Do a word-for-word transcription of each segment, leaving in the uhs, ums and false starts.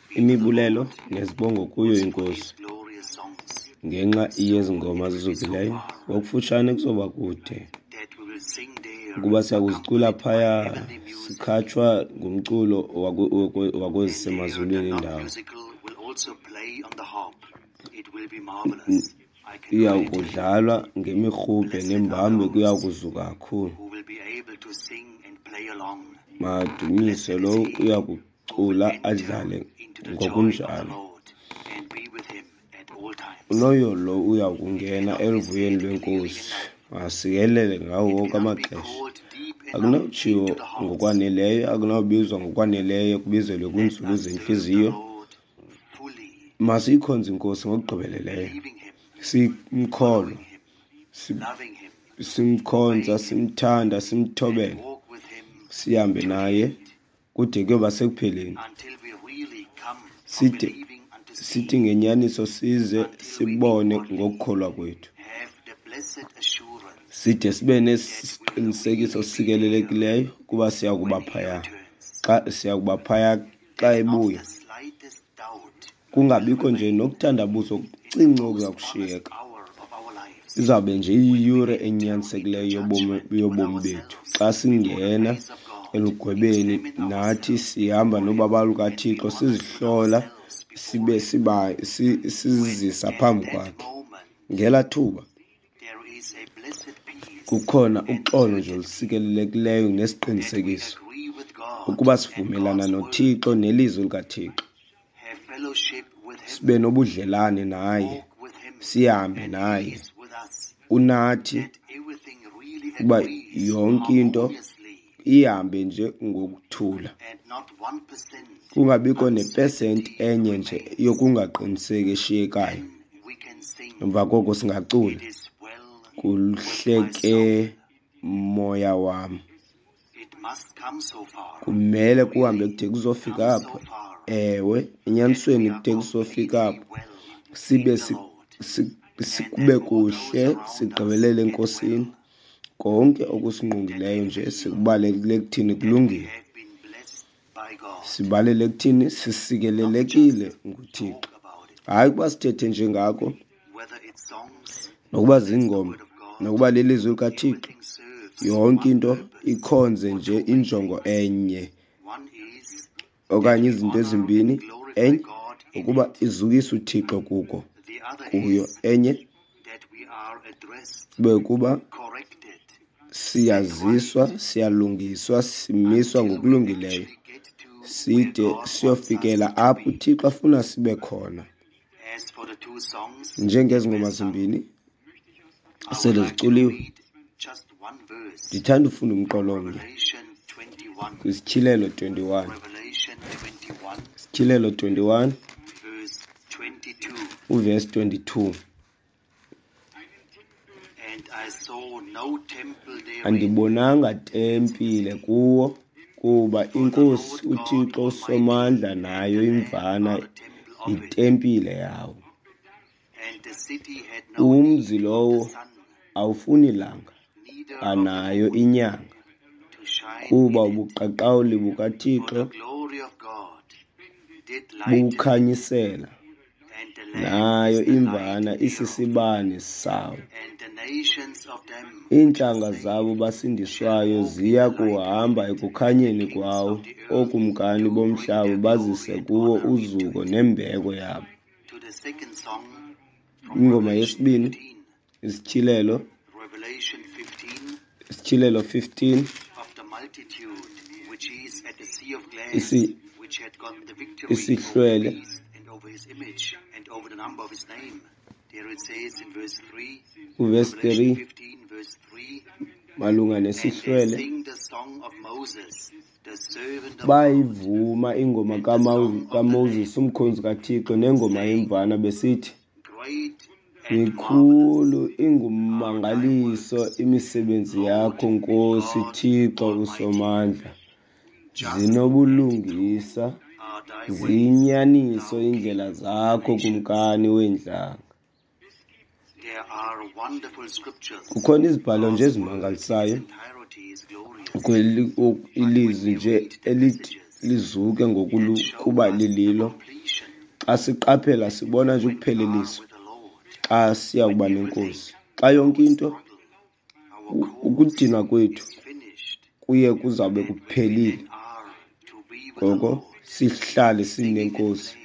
Imibulelo nezibongo kuyo iNkosi ngenxa yezi ngoma zizukileyo. Ngokufutshane kuzoba kude ukuba siyakuzicula phaya sikhatshwa ngumculo wakwezisemazulwini indawo. Iya kudlalwa ngemirhubhe nembambo, kuya kuzuka kakhulu. Madumise lowo uya kucula adlale ngokunjalo. Unoyolo lo uya kungena eluvuyweni lweNkosi, masikelele ngawo wonke amaxesha. Akunawutshiwo ngokwaneleyo, akunawubizwa ngokwaneleyo, kubizelwe kwiinzulu zentliziyo. Masiyikhonze iNkosi ngokugqibeleleyo, simkholwe, simkhonza, simthanda, simthobele, sihambe naye kude kuyoba sekupheleni. Side sithi ngenyaniso size sibone ngokukholwa kwethu, side sibe nesiqinisekiso sikelelekileyo kuba siya kuba phaya xa siya kuba phaya xa ebuya, kungabikho nje nokuthandabuza okucinci okuza kushiyeka. Izawube nje iyiyure enyanisekileyo yobomi yobomi bethu xa singena elugwebeni, nathi sihamba nobabalo lukaThixo, sizihlola sibe siba sizisa phambi kwakhe. Ngelaa thuba kukhona uxolo nje olusikelelekileyo nesiqinisekiso ukuba sivumelana noThixo nelizwi likaThixo, sibe nobudlelane naye, sihambe naye, unathi, ukuba yonke into ihambe nje ngokuthula, kungabikho nepesenti enye nje yokungaqiniseki eshiyekayo. Emva koko singacula, kuhle ke moya wam. Kumele kuhambe kude kuzofika apho. Ewe, enyanisweni kude kuzofika apho, sibe kube kuhle, sigqibelele eNkosini. Konke okusingqongileyo nje sikubalele ekuthini kulungile, sibalele ekuthini sisikelelekile nguThixo. Hayi ukuba sithethe nje ngako, nokuba ziingoma, nokuba lilizwi likaThixo, yonke into ikhonze nje injongo enye okanye izinto ezimbini. Enye ukuba izukise uThixo kuko kuyo, enye kube kuba siyaziswa, siyalungiswa, simiswa ngokulungileyo side siyofikela apho uThixo afuna sibe khona. Njengezi ngoma zimbini sele ziculiwe, ndithanda ufunda umqolo omnye kwiSityhilelo twenty-one. Sityhilelo twenty-one uvesi twenty-two. Andibonanga tempile kuwo, kuba iNkosi uThixo uSomandla nayo iMvana yitempile yawo. Umzi lowo awufuni langa, anayo inyanga, kuba ubuqaqawuli bukaThixo bukhanyisela, nayo iMvana isisibane sawo. Iintlanga zabo basindiswayo ziya kuhamba ekukhanyeni kwawo, ookumkani bomhlaba bazise kuwo uzuko nembeko yabo. Ingoma yesibini, Isityhilelo, Isityhilelo fifteen, isi isihlwele uvesi three malunga nesihlwele bayivuma ingoma kaMoses umkhonzi kaThixo nengoma yemvana besithi, mikhulu ingummangaliso imisebenzi yakho Nkosi Thixo uSomandla, zinobulungisa ziyinyaniso iindlela zakho Kumkani weentlanga. Kukhona izibhalo nje ezimangalisayo kweli ilizwi nje elithi lizuke ngokuba lililo. Xa siqaphela sibona nje ukupheleliswa xa siya kuba nenkosi. Xa yonke into ukudinwa kwethu kuye kuzawube kuphelile, ngoko sihlale sinenkosi,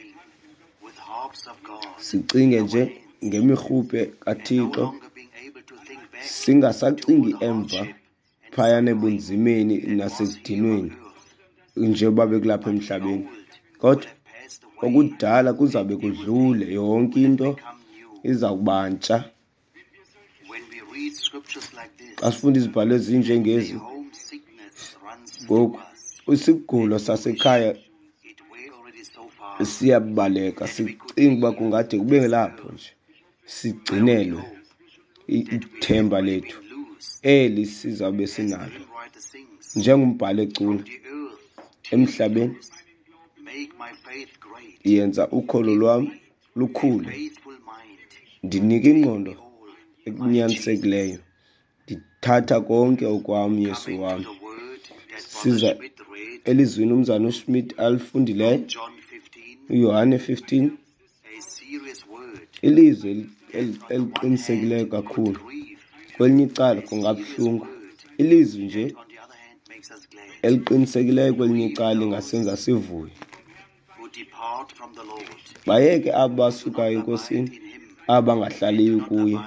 sicinge nje ngemirhubhe kaThixo, singasacingi emva phayana ebunzimeni nasekudinweni njengoba bekulapha emhlabeni, kodwa okudala kuzawube kudlule, yonke into iza kuba ntsha. Xa sifunda izibhalo ezinjengezi, ngoku isigulo sasekhaya siyabaleka, sicinga uba kungade kube lapho nje sigcinelwe ithemba lethu eli sizawube sinalo. Njengombhali ecula, emhlabeni yenza ukholo lwam lukhule, ndinike ingqondo ekunyanisekileyo, ndithatha konke okwam, Yesu wam. Siza elizwini umzana uSmith alifundileyo, uYohane fifteen, ilizwi eliqinisekileyo kakhulu. Kwelinye icala kungabuhlungu, ilizwi nje eliqinisekileyo kwelinye icala lingasenza sivuye. Bayeke abo basukayo enkosini, abangahlaliyo kuye,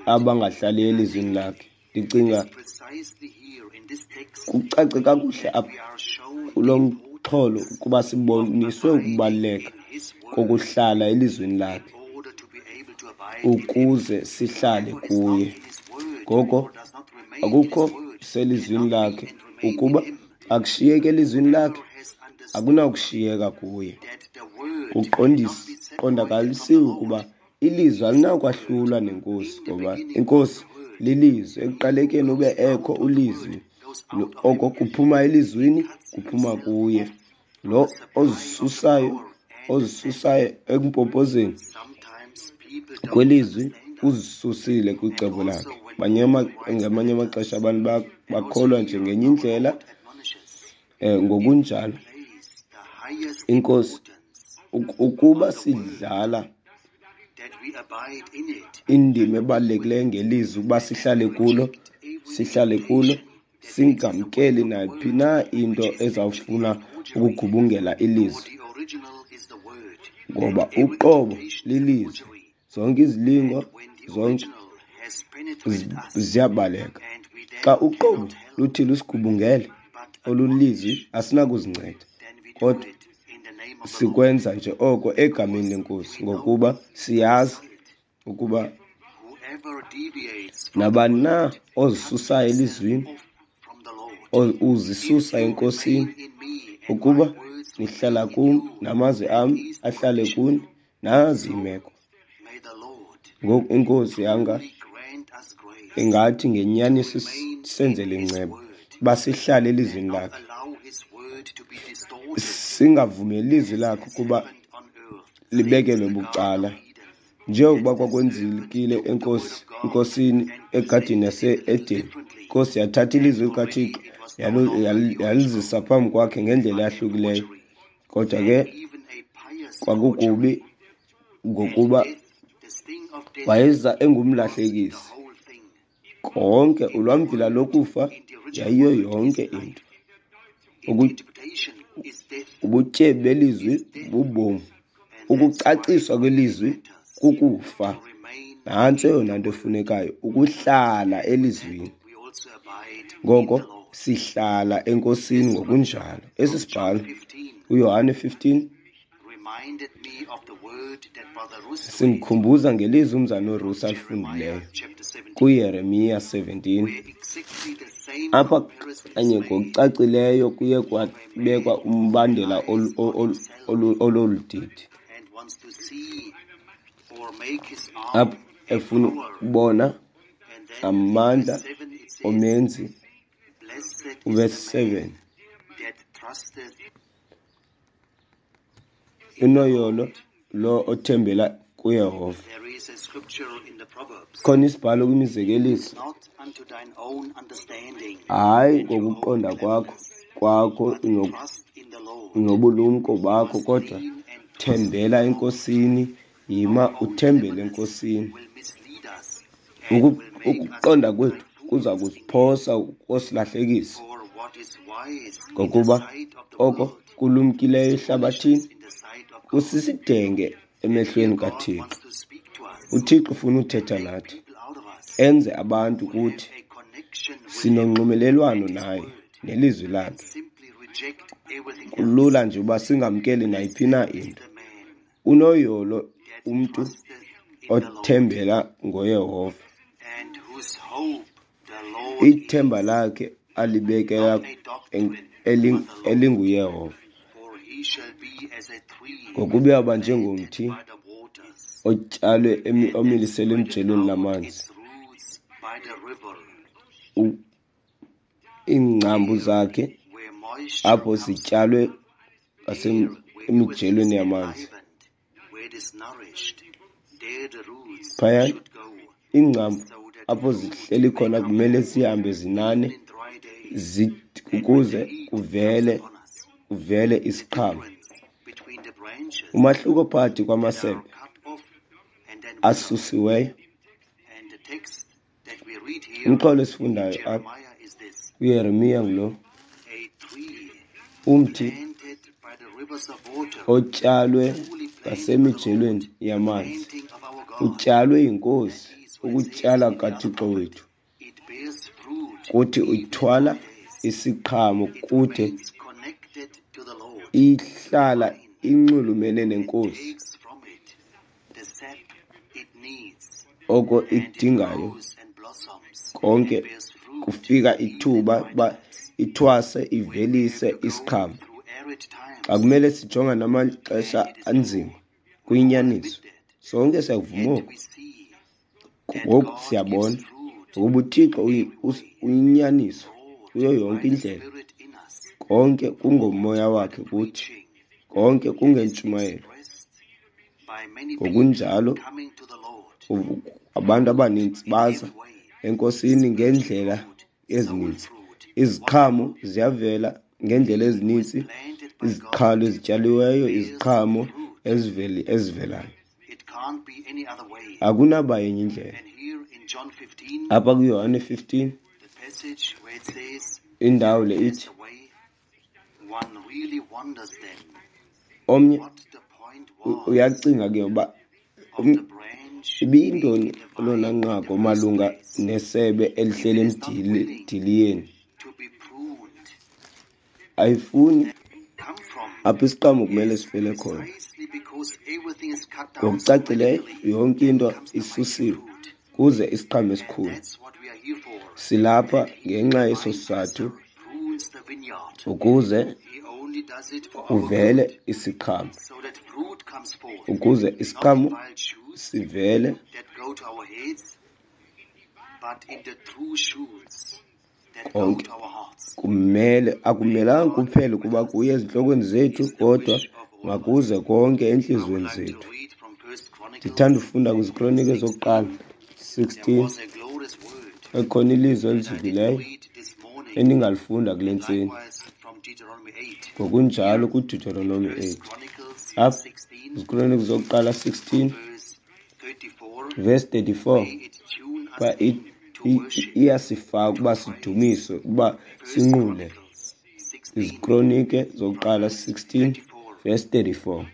abangahlaliyo elizwini lakhe. Ndicinga kucace kakuhle apha kulo mxholo ukuba siboniswe ukubaluleka kokuhlala elizwini lakhe ukuze sihlale kuye. Ngoko akukho selizwini lakhe, ukuba akushiyeki elizwini lakhe, akunakushiyeka kuye. Kuqondakalisiwe ukuba ilizwi alinakwahlulwa nenkosi, ngoba inkosi lilizwi. Ekuqalekeni ube ekho ulizwi, oko kuphuma elizwini kuphuma kuye. Lo ozisusayo ozisusayo ekumpompozeni kwelizwi uzisusile kwicebo lakhe. Ngamanye amaxesha abantu bakholwa nje ngenye indlela. Ngokunjalo inkosi, ukuba sidlala indima ebalulekileyo ngelizwi ukuba sihlale kulo, sihlale kulo, singamkeli nayiphi na into ezawufuna ukugubungela ilizwi, ngoba uqobo lilizwi. Zonke izilingo zonke ziyabaleka. Xa uqobo luthi lusigubungele olulizwi, asinakuzinceda, kodwa sikwenza nje oko egameni lenkosi, ngokuba siyazi ukuba nabani na ozisusayo elizwini, uzisusa enkosini. Ukuba nihlala kum namazwi am ahlale kuni, nazi imeko. Ngoku inkosi yanga ingathi ngenyaniso senzele inceba, uba sihlale elizwini lakhe, singavumeli ilizwi lakhe ukuba libekelwe bucala, njengokuba kwakwenzekile enkosi enkosini egadini yase-Edeni. Inkosi yathatha ilizwi likaThixo yalizisa phambi kwakhe ngendlela eyahlukileyo, kodwa ke kwakukubi ngokuba wayeza engumlahlekisi. Konke ulwamvila lokufa yayiyo yonke into. Ubutyebi belizwi bubomi, ukucaciswa kwelizwi kukufa. Nantso eyona nto efunekayo, ukuhlala elizwini. Ngoko sihlala enkosini ngokunjalo. Esi sibhalo uYohane fifteen sindikhumbuza ngelizwi umzana uRusi alifundileyo kuYeremiya seventeen. Apha kanye ngokucacileyo kuye kwabekwa umbandela ololu didi, apho efuna ukubona amandla omenzi. Verse seven, unoyolo lo othembela kuYehova. Khona isibhalo kwimizekeliso, hayi ngokuqonda kwakho kwakho nobulumko bakho, kodwa thembela eNkosini, yima uthembele eNkosini. Ukuqonda kwethu kuza kusiphosa kosilahlekisa, ngokuba oko kulumkileyo ehlabathini kusisidenge emehlweni kaThixo. UThixo ufuna uthetha nathi, enze abantu kuthi sinonxumelelwano naye nelizwi lakhe. Kulula nje uba singamkeli nayiphi na into. Unoyolo umntu othembela ngoYehova, ithemba lakhe alibekela elinguYehova, ngokuba uyawuba njengomthi otyalwe omiliselwe emjelweni lamanzi, iingcambu zakhe apho zityalwe emijelweni yamanzi. Phaya iingcambu apho zihleli khona kumele zihambe zinane ukuze kuvele kuvele isiqhamo. Umahluko phakathi kwamasebe asusiweyo, umxholo esifundayo apha kuYeremiya ngulo: umthi otyalwe ngasemijelweni yamanzi, utyalwe yiNkosi, ukutyala kaThixo wethu, kuthi uthwala isiqhamo kude ihlala inxulumene neNkosi, oko idingayo konke kufika ithuba uba ithwase ivelise isiqhamo. Xa kumele sijonga namaxesha anzima, kuyinyaniso, sonke siyakuvuma oku. Ngoku siyabona ngokuba uThixo uyinyaniso kuyo yonke indlela. Konke kungomoya wakhe kuthi, konke kungentshumayelo. Ngokunjalo abantu abanintsi baza eNkosini ngeendlela ezininzi. Iziqhamo ziyavela ngeendlela ezininzi, iziqhalo ezityaliweyo, iziqhamo eziveli ezivelayo. Akunaba yenye indlela. Apha kuYohane fifteen, indawo le ithi omnye uyacinga ke uba ibiyintoni elona nqaku malunga nesebe elihleli emdiliyeni. Ayifuni apho isiqhamo kumele sivele khona. Ngokucacileyo yonke into isusiwe kuze isiqhamo esikhulu. Silapha ngenxa yeso sizathu, ukuze kuvele isiqhamo, ukuze isiqhamo sivele konke. Kumele, akumelanga kuphele ukuba kuye ezintlokweni zethu, kodwa makuze konke entliziyweni zethu. Ndithanda ufunda kwiziKronike zokuqala sixteen, ekhona ilizwi elizukileyo endingalifunda kule ntseni. Ngokunjalo kuDeuteronomy eight. Apha iziKronike zokuqala sixteen verse thirty-four, uba iyasifaka ukuba sidumise, ukuba sinqule. IziKronike zokuqala sixteen verse thirty-four.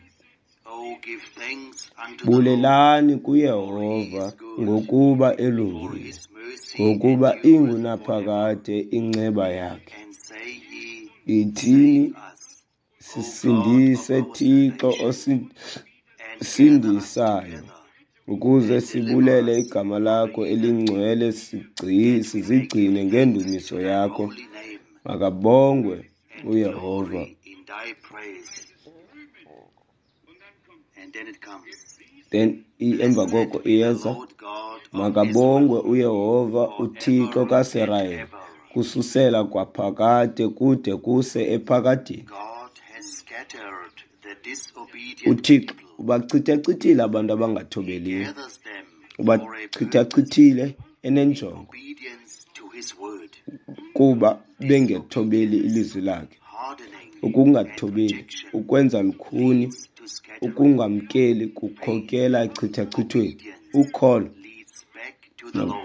Bulelani kuYehova ngokuba elungile, ngokuba ingunaphakade inceba yakhe. Ithini, sisindise Thixo osindisayo, ukuze sibulele igama lakho elingcwele, sizigcine ngendumiso yakho. Makabongwe uYehova. Then emva koko iyeza, makabongwe uYehova uThixo kaSirayeli, kususela kwaphakade kude kuse ephakadeni. UThixo ubachithachithile abantu abangathobeliyo, ubachithachithile enenjongo, kuba bengethobeli ilizwi lakhe. Ukungathobeli, ukwenza lukhuni, ukungamkeli kukhokela echithachithweni. Ukholo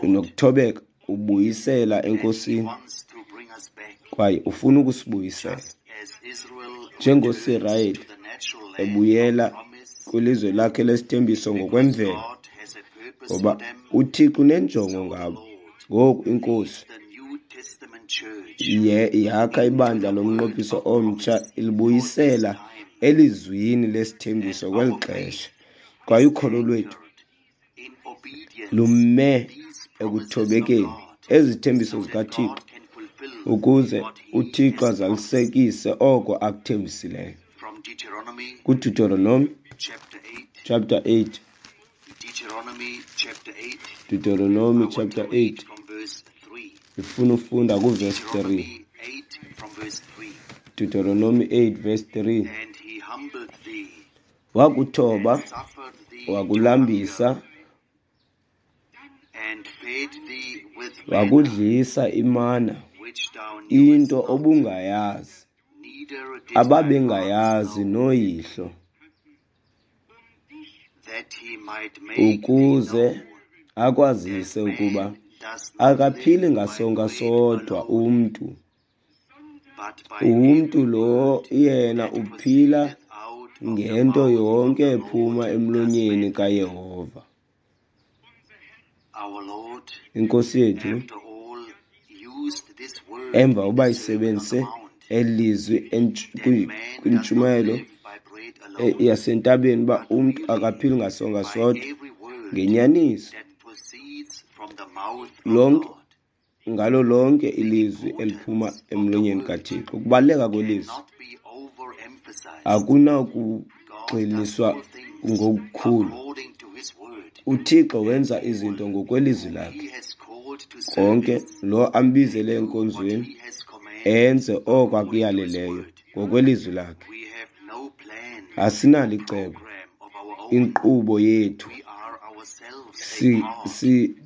nokuthobeka kubuyisela eNkosini, kwaye ufuna ukusibuyisela. NjengoSirayeli ebuyela kwilizwe lakhe lesithembiso ngokwemvelo, ngoba uThixo unenjongo ngabo. Ngoku iNkosi yakha ibandla lomnqophiso omtsha, ilibuyisela elizwini lesithembiso kweli xesha. Kwaye ukholo lwethu lume ekuthobekeni ezithembiso zikaThixo, ukuze uThixo azalisekise oko akuthembisileyo. KuDeuteronomy chapter eight. Deuteronomy chapter eight. Ifuna ufunda kuverse three. Deuteronomy eight verse three. Wakuthoba, wakulambisa, wakudlisa imana, into obungayazi, ababengayazi noyihlo, ukuze akwazise ukuba akaphili ngasonka sodwa umntu. Umntu lo yena uphila ngento yonke ephuma emlonyeni kaYehova. Inkosi yethu emva uba isebenzise elizwi kwintshumayelo yasentabeni uba umntu akaphili ngasonka sodwa, ngenyaniso lonke ngalo lonke ilizwi eliphuma emlonyeni kaThixo. Ukubaluleka kwelizwi akunakugxiniswa ngokukhulu. UThixo wenza izinto ngokwelizwi lakhe. Konke lo ambizele enkonzweni enze oko akuyaleleyo ngokwelizwi lakhe. Asinalo icebo, inkqubo yethu. Si, si,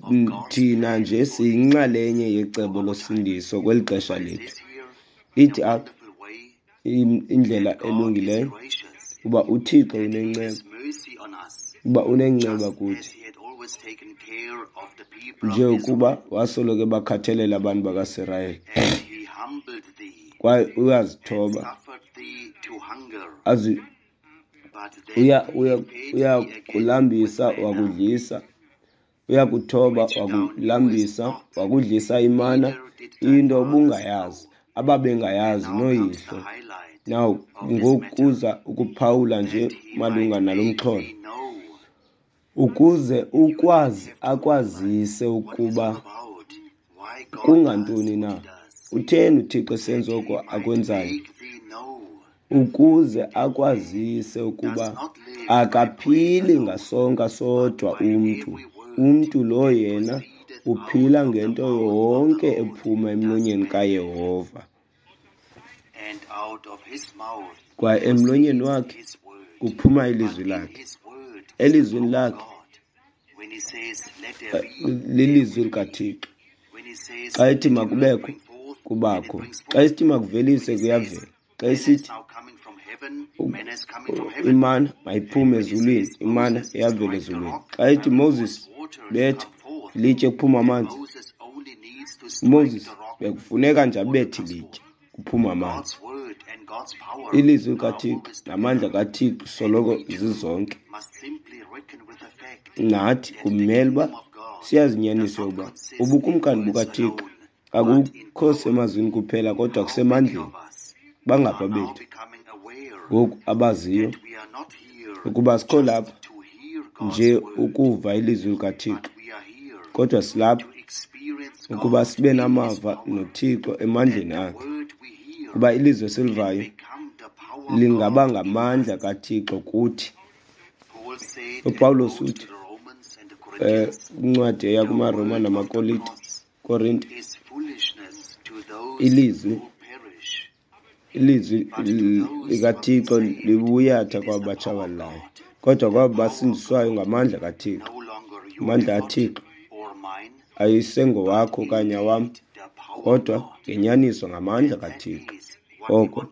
thina nje siyinxalenye yecebo losindiso kweli xesha lethu. Ithi apha indlela elungileyo uba uThixo unenceba, uba unenceba kuthi, njengokuba wasoloko ebakhathalela abantu bakaSirayeli. Kwaye uyazithoba, azi uya uya uyakulambisa wakudlisa, uyakuthoba wakulambisa, wakudlisa imana, into obungayazi, ababengayazi noyihlo. Now ngokuza ukuphawula nje malunga nalo mxholo, ukuze ukwazi akwazise ukuba kungantoni na, utheni uThixo esenza oko akwenzayo, ukuze akwazise ukuba akaphili ngasonka sodwa umntu. Umntu lo yena uphila ngento yonke ephuma emlonyeni kaYehova. Kwaye emlonyeni wakhe kuphuma ilizwi lakhe. Elizwini lakhe lilizwi likaThixo. Xa ethi makubekho, kubakho. Xa esithi makuvelise, kuyavela. Xa esithi imana mayiphume ezulwini, imana iyavela ezulwini. Xa ethi Moses betha ilitye kuphuma amanzi, Moses bekufuneka nje abethe ilitye kuphuma amanzi. Ilizwi likaThixo namandla kaThixo soloko zizonke. Nathi kumele uba siyazinyaniso uba ubukumkani bukaThixo akukho semazwini kuphela kodwa kusemandleni. Bangapha bethu ngoku abaziyo ukuba sikho lapha nje ukuva ilizwi likaThixo, kodwa silapha ukuba sibe namava noThixo emandleni akhe, kuba ilizwi esilivayo lingaba ngamandla kaThixo kuthi. UPawulos uthi eh incwadi eya kumaRoma namaKorinte, Korinte, ilizwi ilizwi likaThixo libuyatha kwabatshabalalayo, kodwa kwabo basindiswayo ngamandla kaThixo. Amandla kaThixo ayisengowakho okanye awam, kodwa ngenyaniso ngamandla kaThixo. Oko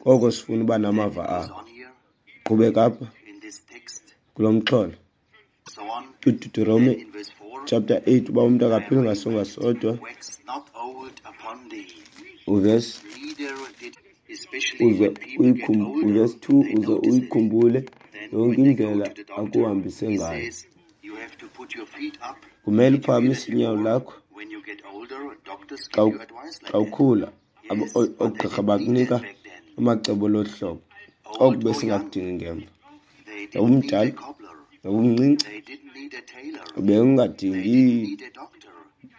Koko sifuna uba namava akho. Qhubeka apha kulo mxholo. KwiDeuteronomy chapter eight, uba umntu akaphili ngasonka sodwa, uverse uze uverse two uze uyikhumbule yonke indlela akuhambise ngayo. Kumele uphakamise inyawo lakho xa ukhula. Oogqirha bakunika amacebo lolu hlobo. Oku besingakudingi ngemva. Noba umdala, noba umncinci, bengingadingi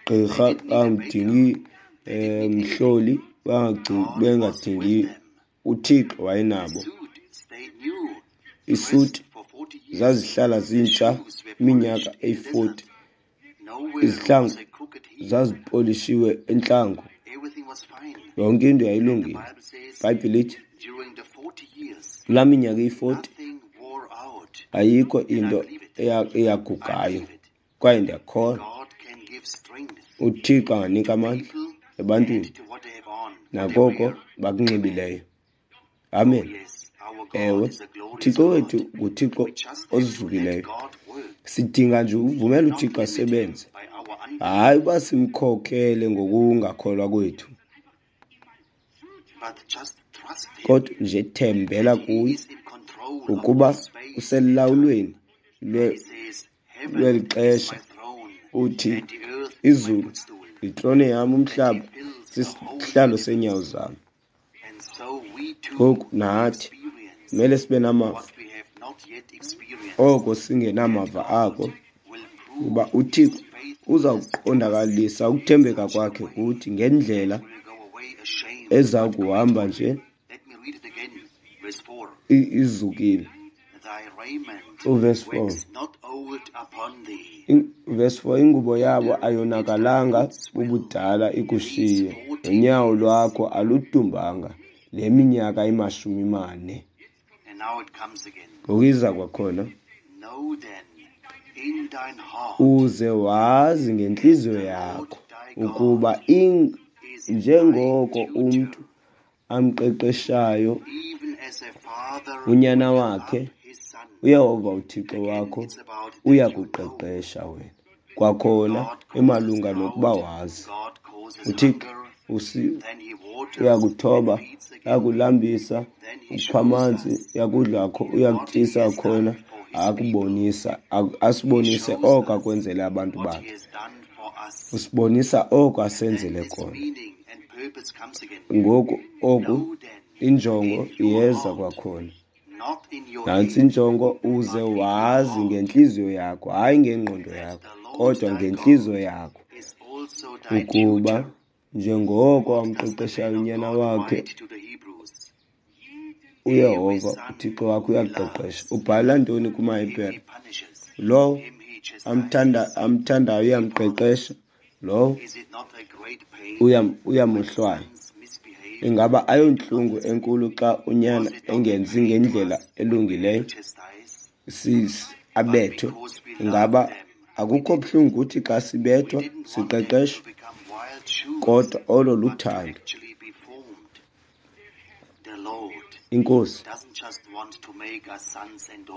gqirha, bangadingi mhloli, bengadingi. UThixo wayenabo. Isuti zazihlala zintsha iminyaka eyi-forty. Izihlangu zazipolishiwe entlango. Yonke into yayilungile. IBhayibhile ithi kulaa minyaka eyi-forty ayikho into eyagugayo, kwaye ndiyakholwa uThixo anganika amandla ebantwini nakoko bakunxibileyo. Amen. Ewe, uThixo wethu nguThixo ozukileyo. Sidinga nje ukuvumela uThixo asebenze, hayi uba simkhokele ngokungakholwa kwethu, kodwa nje thembela kuye ukuba uselawulweni lweli xesha. Uthi izulu yitrone yam, umhlaba sisihlalo seenyawo zam. Ngoku nathi kumele sibe namava oko singenamava ako, kuba uThixo uza kuqondakalisa ukuthembeka kwakhe kuthi ngendlela eza kuhamba nje izukile. Uverse four. Verse four, ingubo yabo ayonakalanga bubudala ikushiye, nonyawo lwakho aludumbanga le minyaka imashumi mane. Ngokuyiza kwakhona, uze wazi ngentliziyo yakho ukuba njengoko umntu amqeqeshayo unyana wakhe, uYehova uThixo wakho uyakuqeqesha wena. Kwakhona emalunga nokuba wazi uThixo uyakuthoba, uyakulambisa, ukupha amanzi, uyakudla, uyakutyisa khona, akubonisa, asibonise oko akwenzele abantu bakhe. Usibonisa oko asenzele kona. Ngoku oku injongo iyeza kwakhona. Nantsi injongo, uze wazi ngentliziyo yakho, hayi ngengqondo yakho, kodwa ngentliziyo yakho, ukuba njengoko amqeqeshayo unyana wakhe uYehova uThixo wakho uyakuqeqesha. Ubhala ntoni kumaHebhere? Lowo amthanda amthandayo uyamqeqesha, lowo uyamohlwaya. Ingaba ayontlungu enkulu xa unyana engenzi ngendlela elungileyo, abethwe? Ingaba akukho buhlungu kuthi xa sibethwa siqeqeshwa? Kodwa olo luthando. Inkosi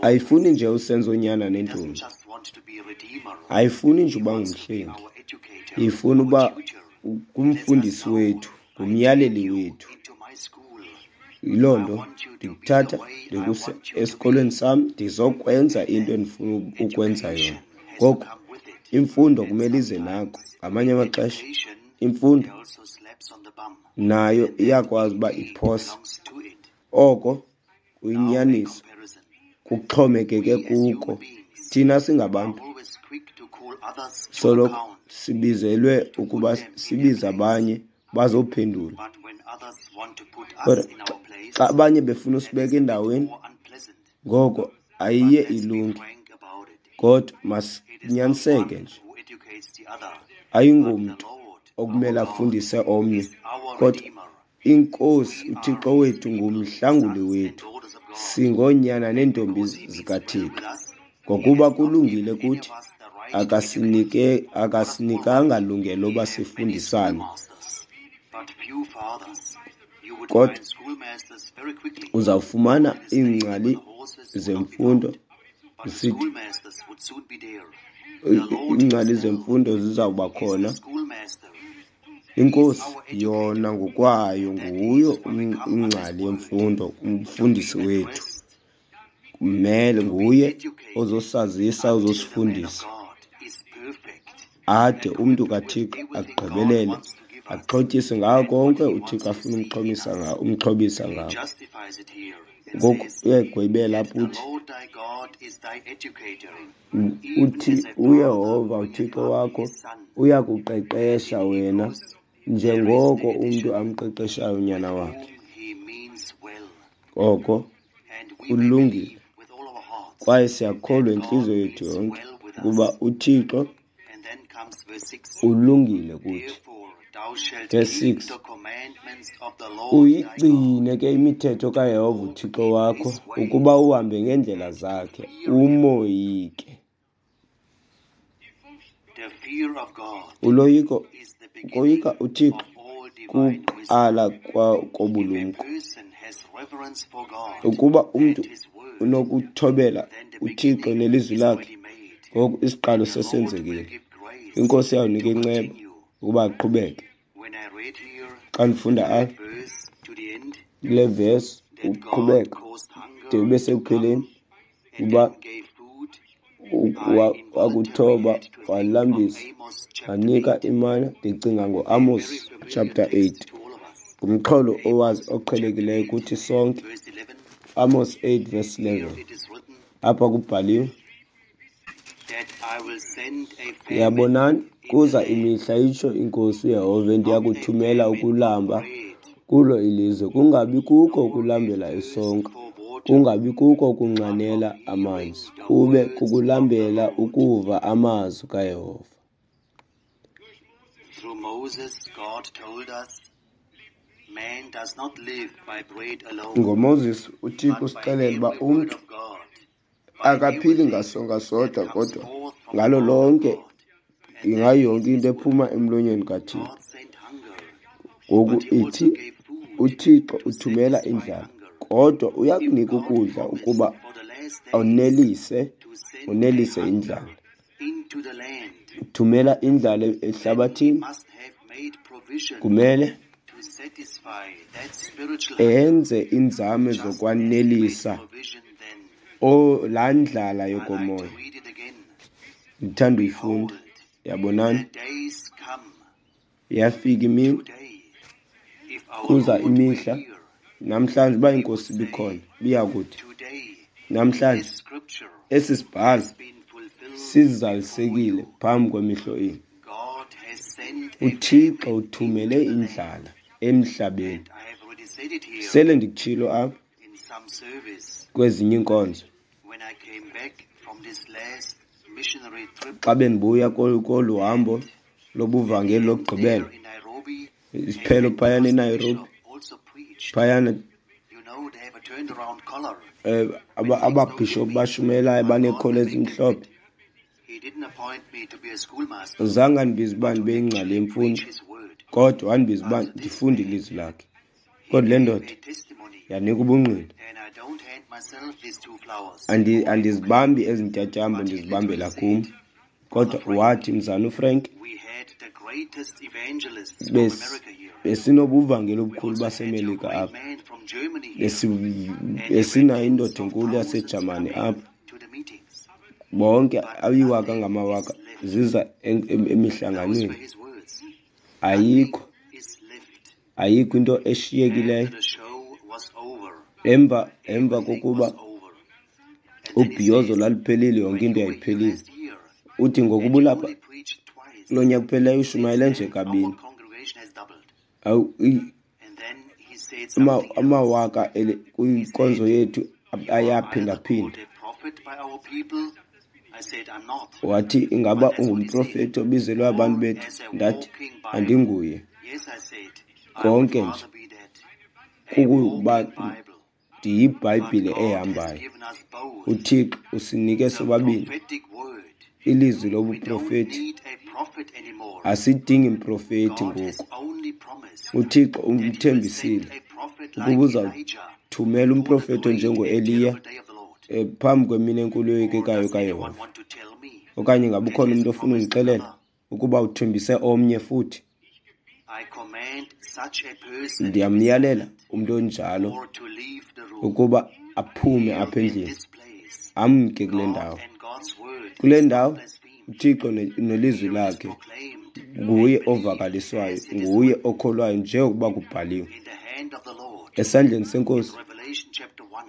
ayifuni nje usenza onyana nentombi, ayifuni nje uba ngumhlengi, ifuna uba ngumfundisi wethu, ngumyaleli wethu. Yiloo nto ndikuthatha ndikuse esikolweni sam, ndizokwenza into endifuna ukwenza yona. Ngoku imfundo kumele ize nako. Ngamanye amaxesha imfundo nayo iyakwazi uba iphose. Oko kuyinyaniso, kuxhomekeke kuko. Thina singabantu soloko sibizelwe ukuba sibize abanye bazophendula. Kodwa xa abanye befuna usibeka endaweni, ngoko ayiye ilunge. Kodwa masinyaniseke nje, ayingomntu okumele afundise omnye, kodwa iNkosi uThixo wethu ngumhlanguli wethu. Singoonyana neentombi zikaThixo. Ngokuba kulungile kuthi, akasinike akasinikanga lungelo loba sifundisane. Kodwa uzawufumana iingcali zemfundo zisithi iingcali zemfundo zizawuba khona. Inkosi yona ngokwayo nguyo ingcali yemfundo, umfundisi wethu. Kumele nguye ozosazisa, ozosifundisa ade umntu kaThixo agqibelele, axhotyiswe ngako konke uThixo afuna umxhomisa ngawo, umxhobisa ngako. Ngoku uyayigwebela apha uthi uthi uYehova uThixo wakho uyakuqeqesha wena njengoko umntu amqeqeshayo unyana wakhe. Oko kulungile kwaye siyakholwa intliziyo yethu yonke ukuba uThixo ulungile kuthi. Verse six, uyigcine ke imithetho kaYehova uThixo wakho ukuba uhambe ngeendlela zakhe, umoyike. Uloyiko, ukoyika uThixo kuqala kobulumko. Ukuba umntu unokuthobela uThixo nelizwi lakhe, ngoku isiqalo sesenzekile. Inkosi iyawunika inceba ukuba aqhubeke. Xa ndifunda apha kule verse uqhubeka de ube sekupheleni, uba wakuthoba walambisa wanika imana, ndicinga ngoAmos chapter eight, ngumxholo owazi oqhelekileyo kuthi sonke. Amos eight verse eleven, apha kubhaliwe, yabonani, kuza imihla, itsho iNkosi uYehova, endiya kuthumela ukulamba kulo ilizwe, kungabi kuko ukulambela isonka, kungabi kuko ukunxanela amanzi, kube kukulambela ukuva amazwi kaYehova. Through Moses, God told us, man does not live by bread alone, NgoMoses uThixo but by usixelela uba every word umntu of God, by akaphili everything ngasonka that sodwa, comes kodwa forth from the ngalo mouth of lonke God. And ngayo that is yonke into his word. ephuma emlonyeni kaThixo. God sent hunger, Ngoku but he also ithi gave food uThixo to uthumela satisfy indlala, hunger. kodwa If uyakunika God ukudla promised ukuba for the last days onelise, to send a onelise hunger indlala. into the land, Thumela indlala then he ehlabathini, must have made provision kumele to satisfy that spiritual hunger, enze inzame just as he made zokwanelisa provision then. o laa ndlala I like to yokomoya. read it again. Ndithanda uyifunda. Behold, Yabonani, the days come yafika imini, today, if our kuza Lord were imihla. here, Namhlanje uba he would inkosi say, ibikhona, biyakuthi today namhlanje this scripture esi sibhalo has been fulfilled before sizalisekile you. phambi kwemihlo enu. God has sent a uThixo famine uthumele into the land. indlala emhlabeni. And I have already said it here Sele ndikutshilo apha in some service kwezinye iinkonzo. when I came back from this last missionary trip. Xa bendibuya kolu, kolu hambo And at the lobuvangeli end lokugqibela, there in Nairobi, a isiphelo phayana Pentecost eNairobi, bishop also preached. phayana You know, they have a turned around collar eh, aba- which makes no ababhishophu difference. bashumelayo But God baneekhola will make them ezimhlophe. fit. He didn't appoint me to be a schoolmaster, Zange andibize uba but to ndibe yingcali actually yemfundo, preach his word. kodwa wandibiza uba But this ndifunde man, ilizwi lakhe. he Kodwa le gave ndoda a testimony, yanika ubungqina. and I don't hand myself these two flowers Andi, for a bouquet. andizibambi ezi ntyatyambo, But he ndizibambela literally kum. said, Brother Kodwa Frank, wathi, mzana uFrank, we had the greatest evangelists from bes- America here. besinobuvangeli We obukhulu also had your baseMelika great apha. man from Germany here, Besi- and there were Besinayo tens indoda of enkulu thousands yaseJamani coming apha. to the meetings. Bonke But ayiwaka nothing is ngamawaka left. ziza em- em- Those were emihlanganweni. his words. Nothing Ayikho, is left. ayikho into eshiyekileyo. After the show was over, Emva emva everything kokuba was over. And then he ubhiyozo says, lwaluphelile, yonke when into you were here yayiphelile. last year Uthi ngoku and you ubulapha only preached twice, kulo nyaka uphelileyo since ushumayele nje then our kabini. congregation has doubled. Awu, i- And then he said ama- something else. amawaka ele- He kwinkonzo said, yethu you are either ayaphindaphinda. called a prophet by our people. I said, I'm not. Wathi ingaba But that's what he said. ungumprofethi obizelwe abantu Or bethu? as a Ndathi walking Bible. andinguye. Yes, I said, I would Konke nje rather be that. A kukuba walking Bible. But ndiyibhayibhile God has ehambayo. given us both uThixo usinike the sobabini prophetic word. ilizwi We don't lobuprofethi. need a prophet anymore. Asidingi mprofethi God has ngoku. only promised uThixo that he will send umthembisile a prophet ukuba uzawuthumela umprofethi onjengoEliya phambi kwemini enkulu eyoyikekayo kaYehova. Okanye ngaba ukhona umntu ofuna undixelela ukuba uthembise omnye futhi? Ndiyamyalela umntu onjalo ukuba aphume apha endlini, amke kule ndawo. Kule ndawo uThixo nelizwi lakhe nguye ovakaliswayo, nguye okholwayo njengokuba kubhaliwe esandleni seNkosi.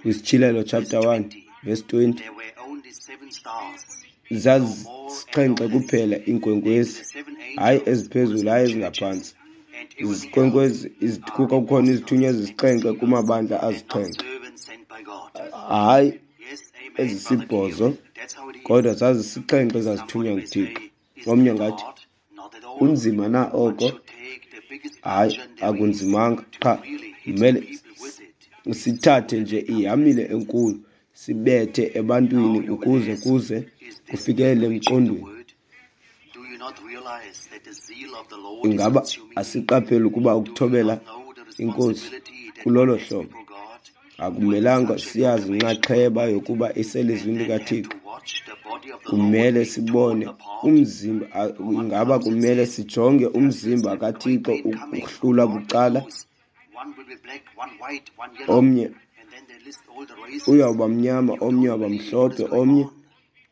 KwisiTyhilelo chapter one verse twenty, zazisixhenxe kuphela iinkwenkwezi, hayi eziphezulu, hayi ezingaphantsi. Izinkwenkwezi kukhona izithunywa ezisixhenxe kumabandla azixhenxe, hayi ezisibhozo, kodwa zazisixhenxe ezazithunywa nguThixo. Omnye ngathi, kunzima na oko? Hayi, akunzimanga, qha kumele sithathe nje ihamile enkulu sibethe ebantwini ukuze kuze kufikelele emqondweni. Ingaba asiqapheli ukuba ukuthobela iNkosi kulolo hlobo akumelanga siyazi inxaxheba yokuba iselizwini likaThixo? Kumele sibone umzimba, ingaba kumele sijonge umzimba kaThixo ukuhlulwa bucala? Omnye uyawuba mnyama, omnye uyawuba mhlophe, omnye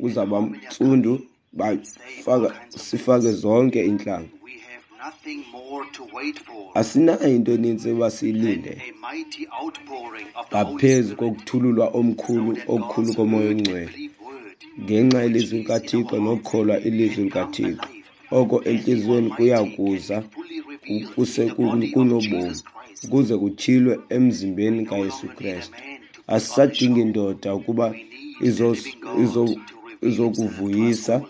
uzawuba ntsundu, bafaka sifake zonke iintlanga. Asinayo into eninzi uba siyilinde ngaphezu kokuthululwa omkhulu okukhulu koMoya oNgcwele ngenxa yelizwi likaThixo nokukholwa ilizwi likaThixo. Oko entliziyweni kuya kuza kuse kunobomi ukuze kutyhilwe emzimbeni kaYesu Krestu. Asisadingi ndoda ukuba izokuvuyisa,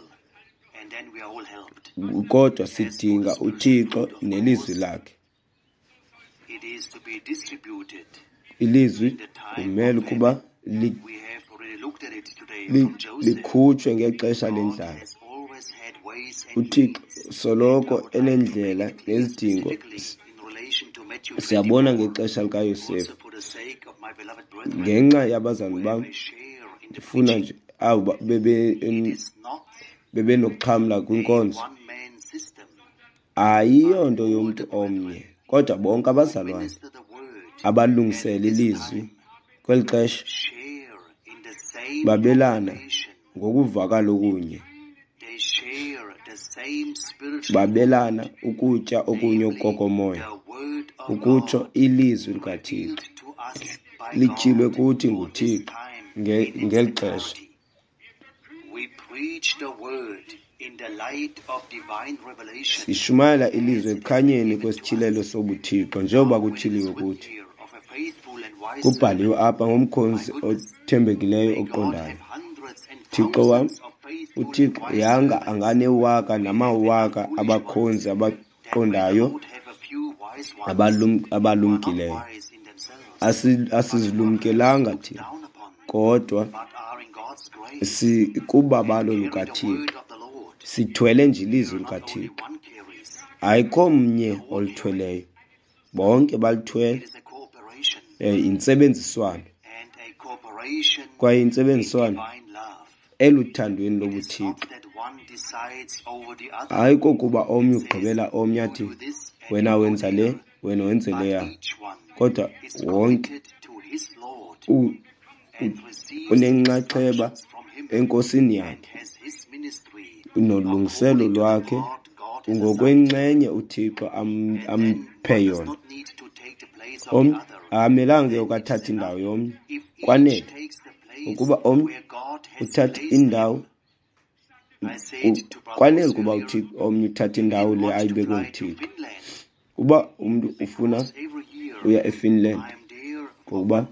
kodwa sidinga uThixo nelizwi lakhe. Ilizwi kumele ukuba likhutshwe ngexesha lendlala. UThixo soloko enendlela nezidingo. Siyabona ngexesha likaYosefu, ngenxa yabazalwane bam ndifuna nje abo bebe bebenokuxhamla kwinkonzo. Ayiyonto yomntu omnye, kodwa bonke abazalwane abalungisela ilizwi kweli xesha babelana ngokuvakala okunye, babelana ukutya okunye okokomoya, ukutsho ilizwi likaThixo lityhilwe kuthi nguThixo ngeli xesha. Sishumayela ilizwi ekukhanyeni kwesityhilelo sobuThixo njengoba kutyhiliwe kuthi. Kubhaliwe apha ngomkhonzi othembekileyo oqondayo. Thixo wam, uThixo yanga anganewaka namawaka abakhonzi abaqondayo abalumkileyo. Asizilumkelanga thina, kodwa sikubabalo lukaThixo. Sithwele nje ilizwi likaThixo. Ayikho mnye olithweleyo, bonke balithwele. Intsebenziswano, kwaye intsebenziswano eluthandweni lobuThixo. Hayi kokuba omnye ugqibela omnye athi wena wenza le, wena wenze leya, kodwa wonke unenxaxheba enkosini yakhe nolungiselo lwakhe ngokwenxenye uThixo amphe yona. Omnye akamelanga ke ukathatha indawo yomnye, kwanele ukuba omnye uthatha indawo, kwanele ukuba uThixo omnye uthatha indawo le ayibekwe nguThixo. Uba umntu ufuna uya eFinland, ngokuba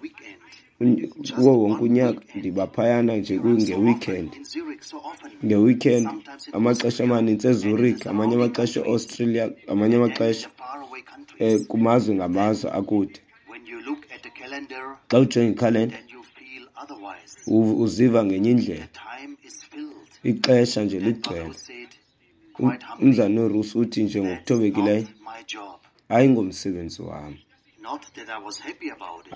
kuwo wonke unyaka ndiba phayana nje ngeweekend. Ngeweekend amaxesha amanintsi eZurich, amanye amaxesha eAustralia, amanye amaxesha kumazwe ngamazwe akude. Xa ujonga ikhalenda uziva ngenye indlela, ixesha nje ligcwele. Umzana uRusi uthi nje ngokuthobekileyo, hayi ngomsebenzi wam,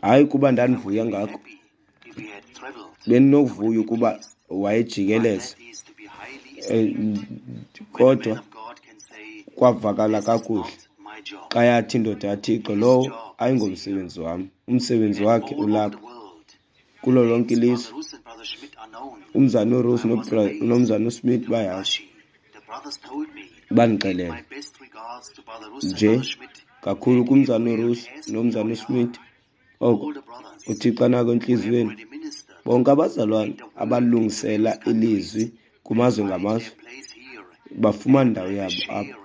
Hayi kuba ndandivuya ngako, bendinokuvuya ukuba wayejikeleza, kodwa kwavakala kakuhle xa yathi indoda yaThixo, lowo ayingomsebenzi wam, umsebenzi wakhe ulapha kulo lonke ilizwe. Umzana uRose nomzana uSmith bayazi, bandixelela nje kakhulu kumzana uRose nomzana uSmith oko uThixo anako entliziyweni. Bonke abazalwane abalungisela ilizwi kumazwe ngamazwe bafumana indawo yabo apha.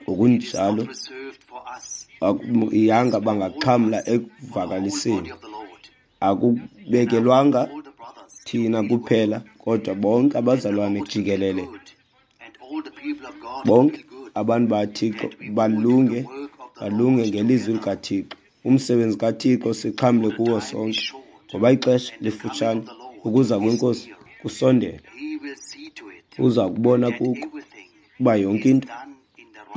Ngokunjalo yanga bangaxhamla ekuvakaliseni. Akubekelwanga thina kuphela, kodwa bonke abazalwane jikelele, bonke abantu baThixo balunge, balunge ngelizwi likaThixo. Umsebenzi kaThixo sixhamle kuwo sonke, ngoba ixesha lifutshane, ukuza kweNkosi kusondele. Uza kubona kuko uba yonke into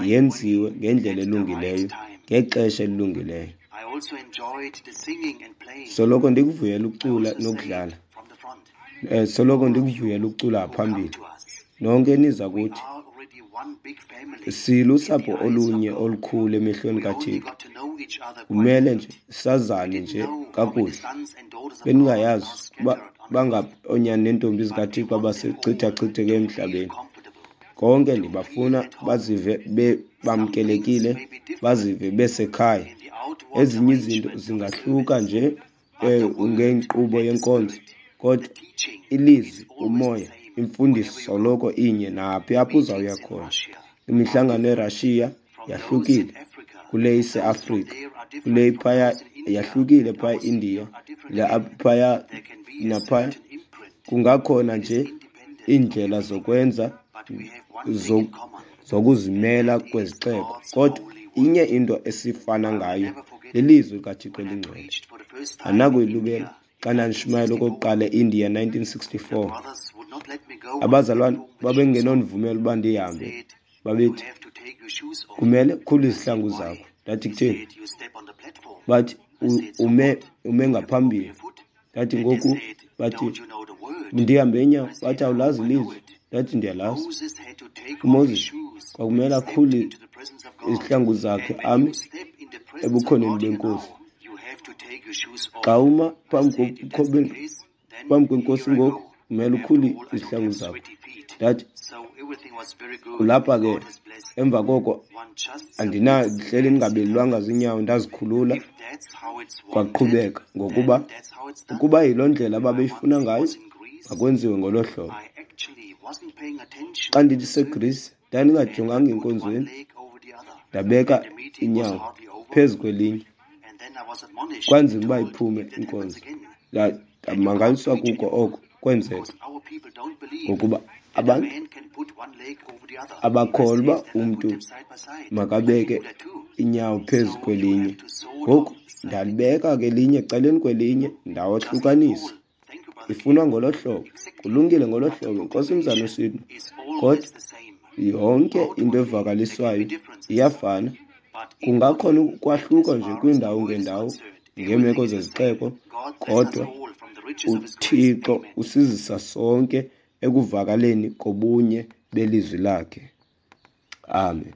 yenziwe ngendlela elungileyo, ngexesha elilungileyo. Soloko ndikuvuyela ukucula nokudlala. Eh, soloko ndikuvuyela ukucula phambili. Nonke niza kuthi silusapho olunye olukhulu emehlweni kaThixo. Kumele nje sazane nje kakuhle. Bendingayazi uba bangaphi oonyana neentombi zikaThixo abasechithachitheke emhlabeni. Konke ndibafuna bazive bamkelekile, bazive besekhaya. Ezinye izinto zingahluka nje ngenkqubo yenkonzo, kodwa ilizwi, umoya, imfundiso soloko inye naphi apho uzawuya khona. Imihlangano eRussia yahlukile kule iseAfrika, kule phaya yahlukile phaya eIndia, le phaya naphaya. Kungakhona nje iindlela zokwenza zokuzimela kwezixeko, kodwa inye into esifana ngayo lilizwi likaThixo elingcwele. Andinakuyilibala xa ndandishumayela okokuqala eIndia nineteen sixty-four. Abazalwane babengenondivumela uba ndihambe, babethi kumele ukhulule izihlangu zakho. Ndathi kutheni? Bathi ume ume ngaphambili. Ndathi ngoku, bathi ndihambe ngenyawo. Bathi awulazi ilizwi. Ndathi ndiyalazi. UMoses kwakumele akhulule izihlangu zakhe ame ebukhoneni beNkosi. Xa uma phambi phambi kweNkosi ngoku, kumele ukhulule izihlangu zakho. Ndathi kulapha ke. Emva koko andinahleli ndingabelelwanga zinyawo, ndazikhulula, kwaqhubeka. Ngokuba ukuba yiloo ndlela ababeyifuna ngayo, makwenziwe ngolo hlobo. Xa ndithi seGreece, ndandingajonganga enkonzweni, ndabeka inyawo phezu kwelinye, kwanzima uba iphume inkonzo. Ndamangaliswa kuko oko kwenzeka, ngokuba abantu abakholwa uba umntu makabeke inyawo phezu kwelinye. Ngoku ndalibeka ke elinye ecaleni kwelinye, ndawohlukanisa. Ifunwa ngolo hlobo, kulungile ngolo hlobo, Nkosi mzana uSidney. Kodwa yonke into evakaliswayo iyafana. Kungakhona ukwahluka nje kwiindawo ngeendawo ngeemeko zezixeko, kodwa uThixo usizisa sonke ekuvakaleni kobunye belizwi lakhe. Amen.